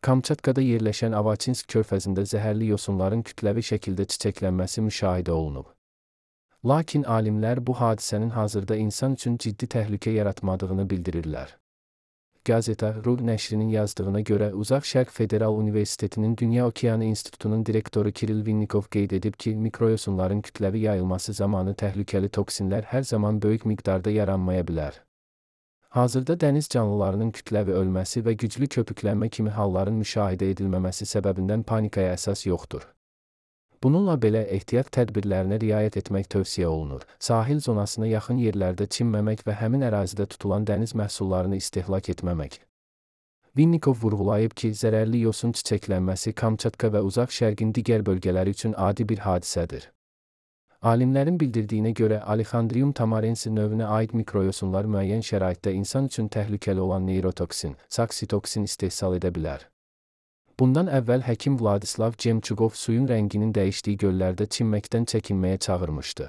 Kamçatkada yerləşən Avaçinsk körfəzində zəhərli yosunların kütləvi şəkildə çiçəklənməsi müşahidə olunub. Lakin alimlər bu hadisənin hazırda insan üçün ciddi təhlükə yaratmadığını bildirirlər. Gazeta Ru nəşrinin yazdığına görə Uzaq Şərq Federal Universitetinin Dünya Okeanı İnstitutunun direktoru Kiril Vinnikov qeyd edib ki, mikroyosunların kütləvi yayılması zamanı təhlükəli toksinlər hər zaman böyük miqdarda yaranmaya bilər. Hazırda dəniz canlılarının kütləvi ölməsi və güclü köpüklənmə kimi halların müşahidə edilməməsi səbəbindən panikaya əsas yoxdur. Bununla belə ehtiyat tədbirlərinə riayət etmək tövsiyə olunur. Sahil zonasına yaxın yerlərdə çimməmək və həmin ərazidə tutulan dəniz məhsullarını istehlak etməmək. Vinnikov vurğulayıb ki, zərərli yosun çiçəklənməsi Kamçatka və Uzaq Şərqin digər bölgələri üçün adi bir hadisədir. Alimlərin bildirdiyinə görə Alexandrium tamarensi növünə aid mikroyosunlar müəyyən şəraitdə insan üçün təhlükəli olan neyrotoksin, saksitoksin istehsal edə bilər. Bundan əvvəl həkim Vladislav Cemçukov suyun rənginin dəyişdiyi göllərdə çimməkdən çəkinməyə çağırmışdı.